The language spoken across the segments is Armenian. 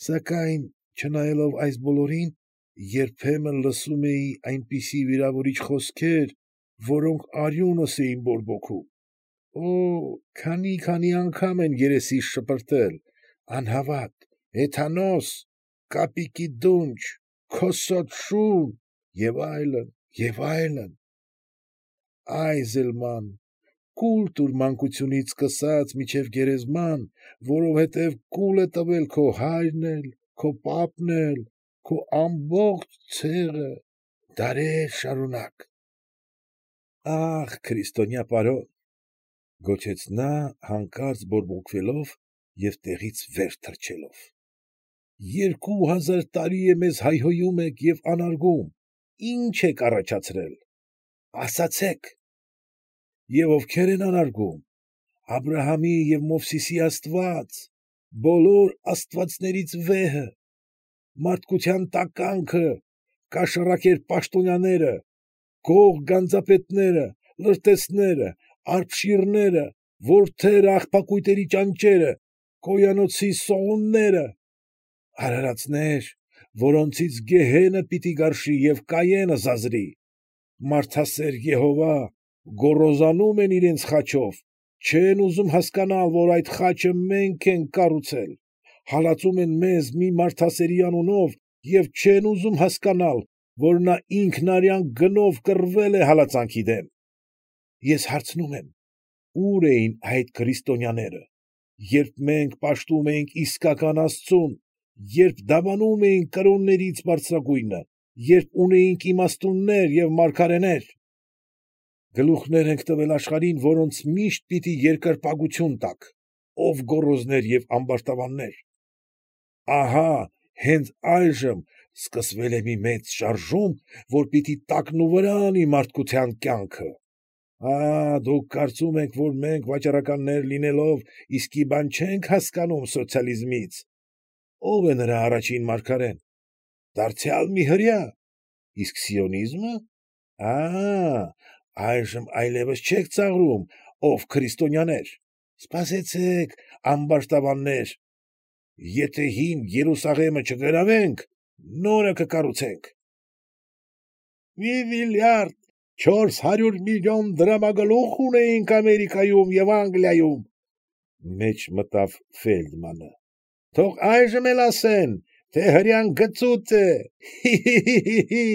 Սակայն, չնայելով այս բոլորին, երբեմն լսում էի այնպիսի վիրավորիչ խոսքեր, որոնք արյունս էին բորբոքում։ Օօ՜, քանի՜, անգամ են երեսիս շպրտել, անհավատ, հեթանոս, կապիկի դունչ, քոսոտ շուն և այլն, և այլն… Այզելման, կուլ տուր մանկությունից սկսած մինչև գերեզման, որովհետև կուլ է տվել քո հայրն էլ, քո պապն էլ, քո ամբողջ ցեղը, դարեր շարունակ… ֊ Ա՜խ, քրիստոնյա պարոն,֊ գոչեց նա, հանկարծ բորբոքվելով և տեղից վեր թռչելով,֊ 2000 տարի է մեզ հայհոյում եք և անարգում, ի՞նչ եք առաջացրել, ասացեք… Եվ ովքե՞ր են անարգում, Աբրահամի և Մովսեսի աստված, բոլոր աստվածներից վեհը, մարդկության տականքը, կաշառակեր պաշտոնյաները, գող գանձապետները, լրտեսները, արբշիռները, որդերը աղբակույտերի ճանճերը, կոյանոցի սողունները… արարածներ, որոնցից գեհենը պիտի գարշի և Կայենը զազրի… Մարդասեր Եհովա, գոռոզանում են իրենց խաչով, չեն ուզում հասկանալ, որ այդ խաչը մենք ենք կառուցել, հալածում են մեզ մի մարդասերի անունով և չեն ուզում հասկանալ, որ նա ինքն արյան գնով կռվել է հալածանքի դեմ… Ես հարցնում եմ. ո՞ւր էին այդ քրիստոնյաները, երբ մենք պաշտում էինք իսկական աստծուն, երբ դավանում էինք կրոններից բարձրագույնը, երբ ունեինք իմաստուններ և մարգարեներ… Գլուխներ ենք տվել աշխարհին, որոնց միշտ պիտի երկրպագություն տաք, ով գոռոզներ և ամբարտավաններ… Ահա հենց այժմ սկսվել է մի մեծ շարժում, որ պիտի տակնուվրա անի մարդկության կյանքը… Դուք կարծում եք, որ մենք վաճառականներ լինելով, իսկի բան չենք հասկանում սոցիալիզմից… Ո՞վ է նրա առաջին մարգարեն… դարձյալ մի հրեա… իսկ սիոնի՞զմը… այժմ այլևս չեք ծաղրում, ով քրիստոնյաներ… Սպասեցեք, ամբարտավաններ… Եթե հին Երուսաղեմը չգրավենք, նորը կկառուցենք… ֊ Մի միլիարդ 400 միլիոն դրամագլուխ ունեինք Ամերիկայում և Անգլիայում,֊ մեջ մտավ Ֆեյլդմանը,֊ թող այժմ էլ ասեն, թե հրեան գծուծ է… Հի՛…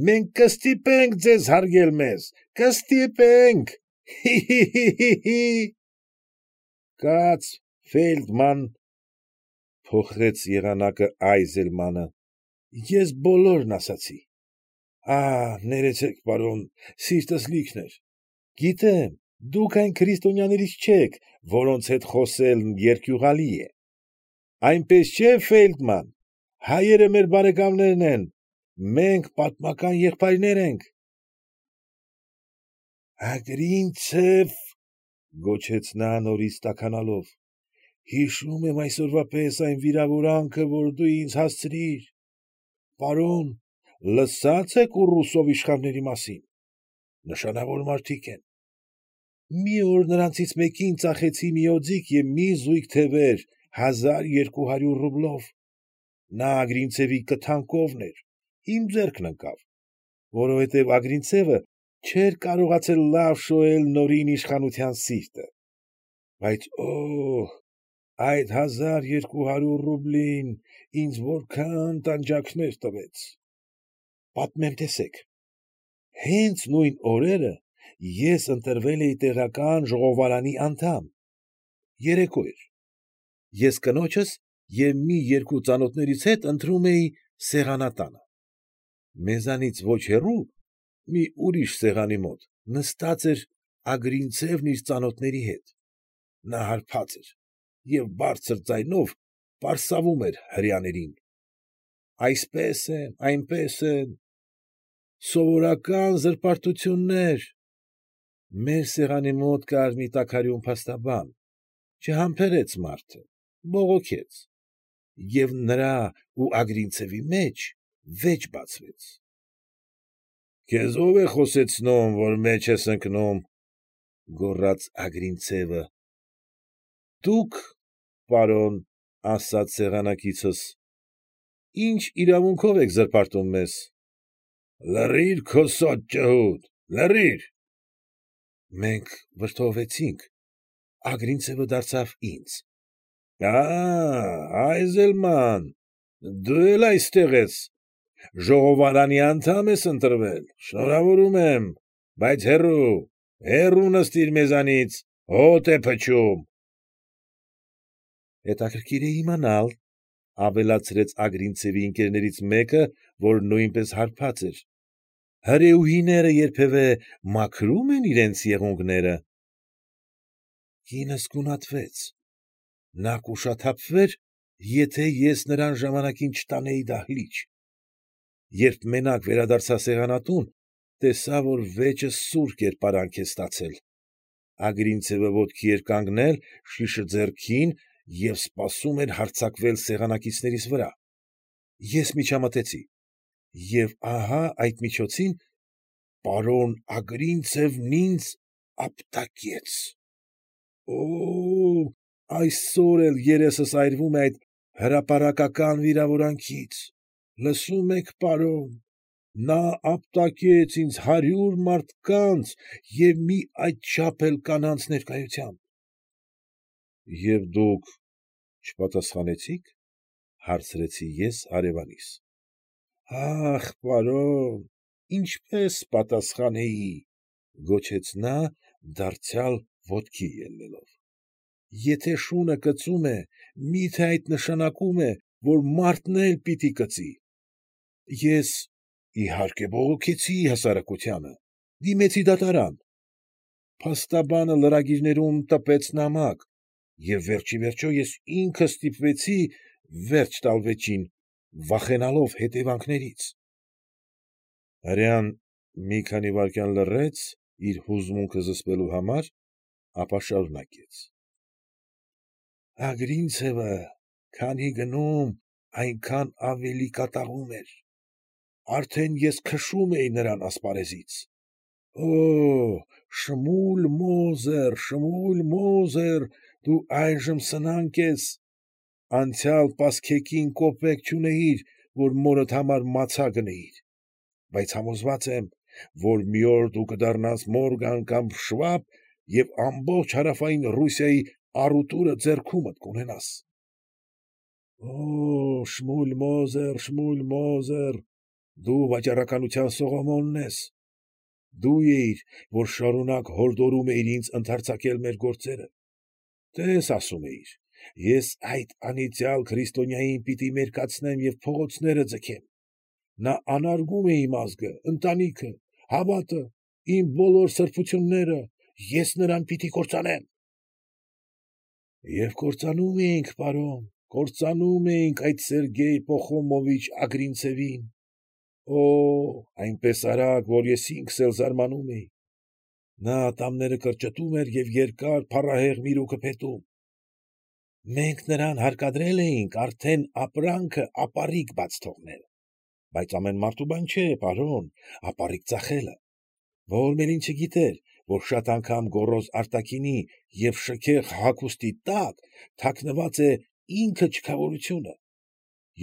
Մենք կստիպենք ձեզ հարգել մեզ, կստիպենք… Հի՛… Կաց, Ֆեյլդման,֊ փոխեց եղանակը Այզելմանը,֊ ես բոլորն ասացի… Ներեցեք, պարոն, սիրտս լիքն էր… Գիտեմ, դուք այն քրիստոնյաներից չեք, որոնց հետ խոսելն երկյուղալի է… Այնպես չէ, Ֆեյլդման, հայերը մեր բարեկամներն են, մենք պատմական եղբայրներ ենք… Ագրինցև,֊ գոչեց նա նորից տաքանալով,֊ հիշում եմ այսօրվա պես այն վիրավորանքը, որ դու ինձ հասցրիր… Պարոն, լսա՞ծ եք Ուռուսով իշխանների մասին… նշանավոր մարդիկ են… Մի օր նրանցից մեկին ծախեցի մի օձիք և մի զույգ թևեր 1200 ռուբլով… Նա Ագրինցևի կթան կովն էր, իմ ձեռքն ընկավ, որովհետև Ագրինցևը չէր կարողացել լավ շոյել նորին իշխանության սիրտը… Բայց օօ՜, այդ 1200 ռուբլին ինձ որքա՜ն տանջանքներ տվեց… Պատմեմ, տեսեք… Հենց նույն օրերը ես ընտրվել էի տեղական ժողովարանի անդամ… Երեկո էր… Ես կնոջս և մի երկու ծանոթներիս հետ ընթրում էի սեղանատանը… Մեզանից ոչ հեռու, մի ուրիշ սեղանի մոտ նստած էր Ագրինցևն իր ծանոթների հետ… Նա հարբած էր և բարձր ձայնով պարսավում էր հրեաներին… Այսպես են, այնպես են… սովորական զրպարտություններ… Մեր սեղանի մոտ կար մի տաքարյուն փաստաբան… Չհամբերեց մարդը, բողոքեց… Եվ նրա ու Ագրինցևի մեջ վեճ բացվեց… ֊ Քեզ ո՞վ է խոսեցնում, որ մեջ ես ընկնում,֊ գոռաց Ագրինցևը։ ֊ Դուք, պարոն, ասաց սեղանակիցս, ի՞նչ իրավունքով եք զրպարտում մեզ։ Լռի՛ր, քո սոճ ջհուդ, լռի՛ր։ Մենք վրդովվեցինք, Ագրինցևը դարձավ ինձ. Այզելման, դու էլ այստեղ ես, ժողովարանի անդամ ես ընտրվել, շնորհավորում եմ, բայց հեռու, հեռու նստիր մեզանից, հոտ է փչում։ Հետաքրքիր է իմանալ, ավելացրեց Ագրինցևի ընկերներից մեկը, որ նույնպես հարբած էր, հրեուհիները երբևէ մաքրո՞ւմ են իրենց եղունգները։ Կինս գունատվեց, նա կուշաթափվեր, եթե ես նրան ժամանակին չտանեի դահլիճ։ Երբ մենակ վերադարձա սեղանատուն, տեսա, որ վեճը սուր կերպարանք է ստացել։ Ագրինցևը ոտքի էր կանգնել, շիշը ձեռքին և սպասում էր հարձակվել սեղանակիցներիս վրա։ Ես միջամտեցի, և ահա այդ միջոցին պարոն Ագրինցևն ինձ ապտակեց։ Օօ՜, այսօր էլ երեսս այրվում է այդ հրապարակական վիրավորանքից։ Լսո՞ւմ եք, պարոն, նա ապտակեց ինձ 100 մարդկանց և մի այդչափ էլ կանանց ներկայությամբ։ Եվ դուք չպատասխանեցի՞ք, հարցրի ես հարևանիս։ Ա՛խ, պարոն, ինչպես պատասխանեի, գոչեց նա, դարձյալ ոտքի ելնելով։ Եթե շունը կծում է, մի՞թե այդ նշանակում է, որ մարդն էլ պիտի կծի։ Ես, իհարկե, բողոքեցի հասարակությանը, դիմեցի դատարան։ Փաստաբանը լրագիրներում տպեց նամակ, և վերջիվերջո ես ինքս ստիպվեցի վերջ տալ վեճին, վախենալով հետևանքներից։ Հրեան մի քանի վայրկյան լռեց իր հուզմունքը զսպելու համար, ապա շարունակեց. Ագրինցևը քանի գնում, այնքան ավելի կատաղում էր։ Արդեն ես քշում էի նրան ասպարեզից։ Օօ՜, Շմուլ Մոզեր, Շմուլ Մոզեր, դու այժմ սնանկ ես, անցյալ պասկեքին կոպեկ չունեիր, որ մորդ համար մացա գնեիր, բայց համոզված եմ, որ մի օր դու կդառնաս Մորգան կամ Շվաբ և ամբողջ հարավային Ռուսիայի առուտուրը ձեռքումդ կունենաս։ Օօ՜, Շմուլ Մոզեր, Շմուլ Մոզեր, դու վաճառականության Սողոմոնն ես։ Դու էիր, որ շարունակ հորդորում էիր ինձ ընդարձակել մեր գործերը։ Տես, ասում էիր, ես այդ անիծյալ քրիստոնյային պիտի մերկացնեմ և փողոցները ձգեմ։ Նա անարգում է իմ ազգը, ընտանիքը, հավատը, իմ բոլոր սրբությունները, ես նրան պիտի կործանեմ։ Եվ կործանում էինք, պարոն, կործանում էինք այդ Սերգեյ Պախոմովիչ Ագրինցևին։ Օօ՜, այնպես արագ, որ ես ինքս էլ զարմանում էի։ Նա ատամները կրճտում էր և երկար փառահեղ միրուքը փետում։ Մենք նրան հարկադրել էինք արդեն ապրանքը ապառիկ բաց թողնել, բայց ամեն մարդու բան չէ, պարոն, ապառիկ ծախելը։ Ո՛ր մեկին չգիտեր, որ շատ անգամ գոռոզ արտաքինի և շքեղ հագուստի տակ թաքնված է ինքը չքավորությունը,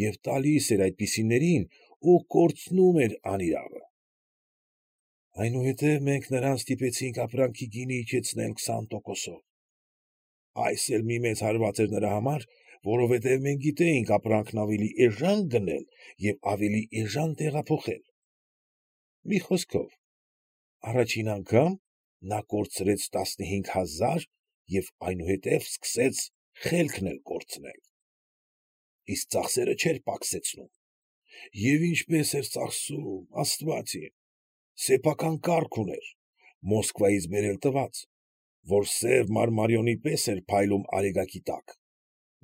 և տալիս էր այդպիսիներին ու կորցնում էր անիրավը։ Այնուհետև մենք նրան ստիպեցինք ապրանքի գինը իջեցնել 20%-ով։ Այս էլ մի մեծ հարված էր նրա համար, որովհետև մենք գիտեինք ապրանքն ավելի էժան գնել և ավելի էժան տեղափոխել։ Մի խոսքով, առաջին անգամ նա կորցրեց 15000 և այնուհետև սկսեց խելքն էլ կորցնել։ Իսկ ծախսերը չէր պակսեցնում։ Եվ ինչպես էր ծախսում, աստված իմ, սեփական կառք ուներ, Մոսկվայից բերել տված, որ սև մարմարիոնի պես էր փայլում արեգակի տակ,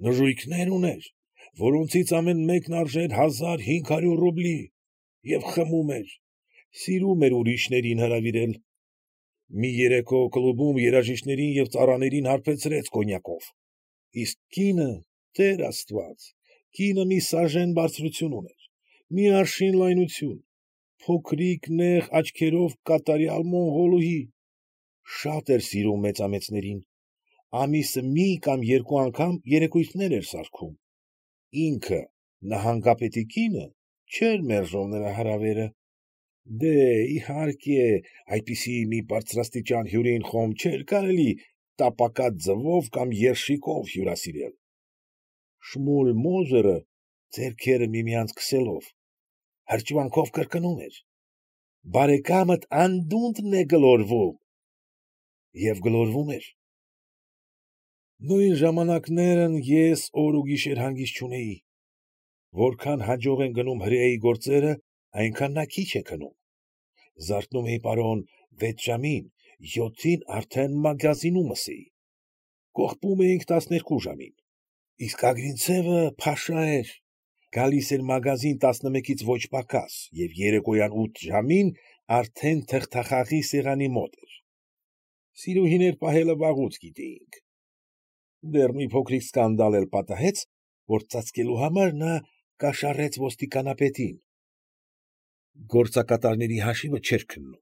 նժույգներ ուներ, որոնցից ամեն մեկն արժեր 1500 ռուբլի, և խմում էր, սիրում էր ուրիշներին հրավիրել։ Մի երեկո կլուբում երաժիշտներին և ծառաներին հարբեցրեց կոնյակով, իսկ կինը, տեր աստված, կինը մի սաժեն բարձրություն ուներ, մի արշին լայնություն, փոքրիկ նեղ աչքերով կատարյալ մոնղոլուհի, շատ էր սիրում մեծամեծներին, ամիսը մի կամ երկու անգամ երեկույթներ էր սարքում։ Ինքը, նահանգապետի կինը, չէր մերժում նրա հրավերը։ Դե, իհարկե, այդպիսի մի բարձրաստիճան հյուրին խոմ չէր կարելի տապակած ձվով կամ երշիկով հյուրասիրել։ Շմուլ Մոզերը, ձեռքերը միմյանց քսելով, հրճվանքով կրկնում էր. «Բարեկամդ անդունդն է գլորվում», և գլորվում էր։ Նույն ժամանակներն ես օր ու գիշեր հանգիստ չունեի։ Որքան հաջող են գնում հրեայի գործերը, այնքան նա քիչ է քնում։ Զարթնում էի, պարոն, 6 ժամին, 7-ին արդեն մագազինումս էի։ Կողպում էինք 12 ժամին։ Իսկ Ագրինցևը փաշա էր, գալիս էր մագազին 11-ից ոչ պակաս և երեկոյան 8 ժամին արդեն թղթախաղի սեղանի մոտ էր։ Սիրուհիներ պահելը վաղուց գիտեինք։ Դեռ մի փոքրիկ սկանդալ էլ պատահեց, որ ծածկելու համար նա կաշառեց ոստիկանապետին։ Գործակատարների հաշիվը չէր քննում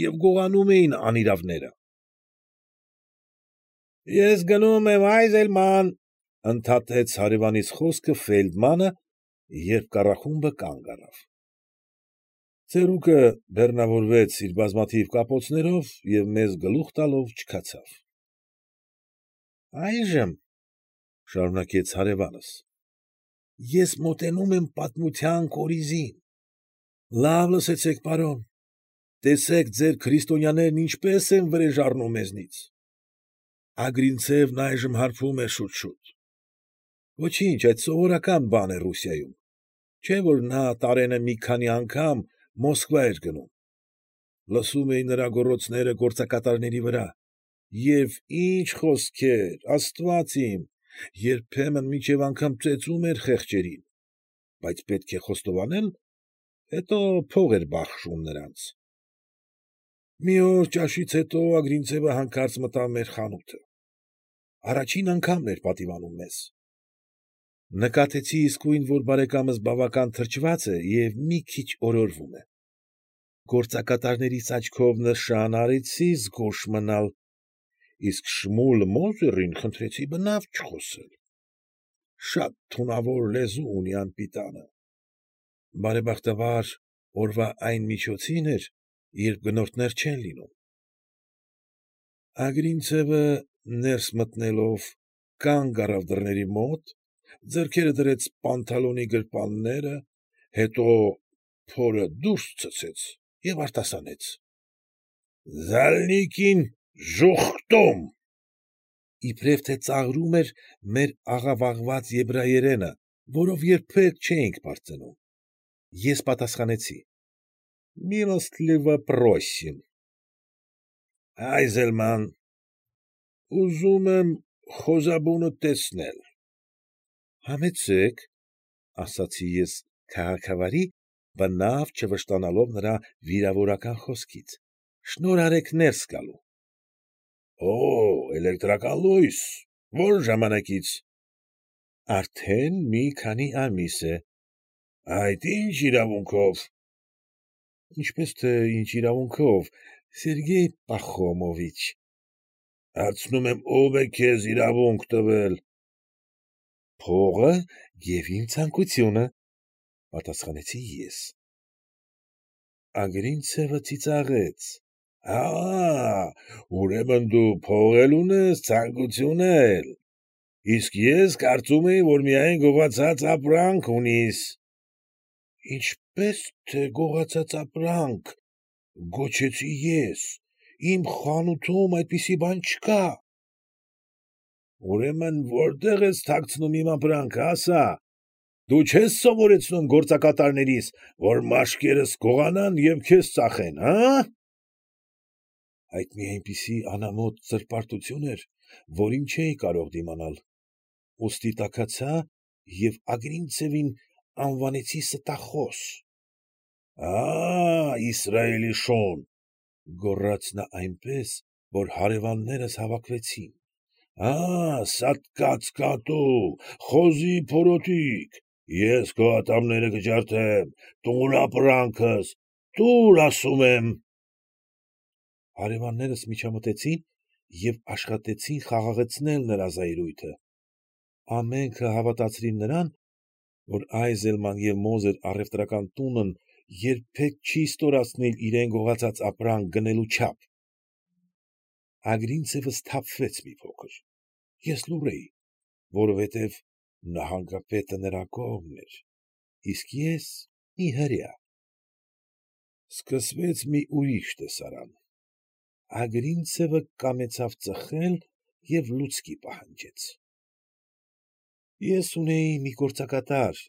և գողանում էին անիրավները։ «Ես գնում եմ, Այզելման,֊ ընդհատեց հարևանիս խոսքը Ֆեյլդմանը, երբ կառախումբը կանգ առավ։ Ծերուկը բեռնավորվեց իր բազմաթիվ կապոցներով և մեզ գլուխ տալով չքացավ։ ֊ Այժմ,֊ շարունակեց հարևանս,֊ ես մոտենում եմ պատմության կորիզին։ Լավ լսեցեք, պարոն, տեսեք ձեր քրիստոնյաներն ինչպես են վրեժ առնում մեզնից։ Ագրինցևն այժմ հարբում է շուտ֊շուտ։ Ոչինչ, այդ սովորական բան է Ռուսիայում, չէ՞ որ նա տարենը մի քանի անգամ Մոսկվա էր գնում։ Լսում էի նրա գոռոցները գործակատարների վրա, և ինչ խոսքեր, աստված իմ, երբեմն մինչև անգամ ծեծում էր խեղճերին, բայց պետք է խոստովանել, հետո փող էր բաշխում նրանց։ Մի օր ճաշից հետո Ագրինցևը հանկարծ մտավ մեր խանութը։ Առաջին անգամն էր պատիվանում մեզ։ Նկատեցի իսկույն, որ բարեկամս բավական թրջված է և մի քիչ օրորվում է։ Գործակատարներիս աչքով նշան արեցի զգույշ մնալ, իսկ Շմուլ Մոզերին խնդրեցի բնավ չխոսել։ Շատ թունավոր լեզու ունի անպիտանը։ Բարեբախտաբար, օրվա այն միջոցին էր, երբ գնորդներ չեն լինում։ Ագրինցևը, ներս մտնելով, կանգ առավ դռների մոտ, ձեռքերը դրեց պանթալոնի գրպանները, հետո փորը դուրս ցցեց և արտասանեց. ֊ Ջալինկին ժուխտում… Իբրև թե ծաղրում էր մեր աղավաղված եբրայերենը, որով երբեք չէինք պարծենում։ Ես պատասխանեցի. ֊ Միլոստլիվո պրոսիմ։ Այզելման, ուզում եմ խոզաբունդ տեսնել։ ֊ Համեցեք,֊ ասացի ես քաղաքավարի, բնավ չվշտանալով նրա վիրավորական խոսքից,֊ շնորհ արեք ներս գալու։ ֊ Օ՜, էլեկտրական լույս, ո՞ր ժամանակից։ ֊ Արդեն մի քանի ամիս է։ ֊ Այդ ի՞նչ իրավունքով։ ֊ Ինչպես թե ինչ իրավունքով, Սերգեյ Պախոմովիչ։ ֊ Հարցնում եմ, ո՞վ է քեզ իրավունք տվել։ ֊ Փողը և իմ ցանկությունը,֊ պատասխանեցի ես։ Ագրինցևը ծիծաղեց. ֊ Ուրեմն դու փող էլ ունես, ցանկություն էլ, իսկ ես կարծում էի, որ միայն գողացած ապրանք ունիս։ ֊ Ինչպես թե գողացած ապրանք,֊ գոչեցի ես, իմ խանութում այդպիսի բան չկա։ ֊ Ուրեմն որտե՞ղ ես թաքցնում իմ ապրանքը, ասա, դու չե՞ս սովորեցնում գործակատարներիս, որ մաշկերս գողանան և քեզ ծախեն, հը՞։ Այդ մի այնպիսի անամոթ սրբարտություն էր, որին չէի կարող դիմանալ, ուստի տաքացա և Ագրինցևին անվանեցի ստախոս։ ֊ Իսրայելի շուն,֊ գոռաց նա այնպես, որ հարևաններս հավաքվեցին,֊ սատկած կատու, խոզի փորոտիք, ես քո ատամները կջարդեմ, տուր ապրանքս, տուր, ասում եմ… Հարևաններս միջամտեցին և աշխատեցին խաղաղեցնել նրա զայրույթը։ Ամենքը հավատացրին նրան, որ Այզելման և Մոզեր առևտրական տունն երբեք չի ստորացնիլ իրան գողացած ապրանք գնելու չափ։ Ագրինցևը սթափվեց մի փոքր, ես լուռ էի, որովհետև նահանգապետը նրա կողմն էր, իսկ ես մի հրեա։ Սկսվեց մի ուրիշ տեսարան. Ագրինցևը կամեցավ ծխել և լուցկի պահանջեց։ Ես ունեի մի գործակատար,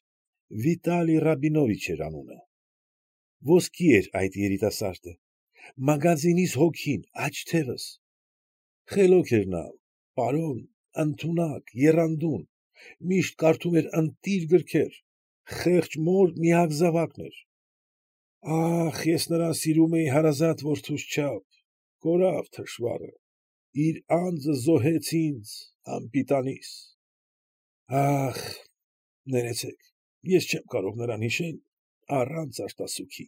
Վիտալի Ռաբինովիչ էր անունը։ Ոսկի էր այդ երիտասարդը, մագազինիս հոգին, աջ թևս։ Խելոք էր նա, պարոն, ընդունակ, եռանդուն, միշտ կարդում էր ընտիր գրքեր, խեղճ մոր միակ զավակն էր։ Ախ, ես նրան սիրում էի հարազատ որդուս չափ, կորավ թշվառը, իր անձը զոհեց ինձ, անպիտանիս։ Ախ, ներեցեք, ես չեմ կարող նրան հիշել առանց արտասուքի։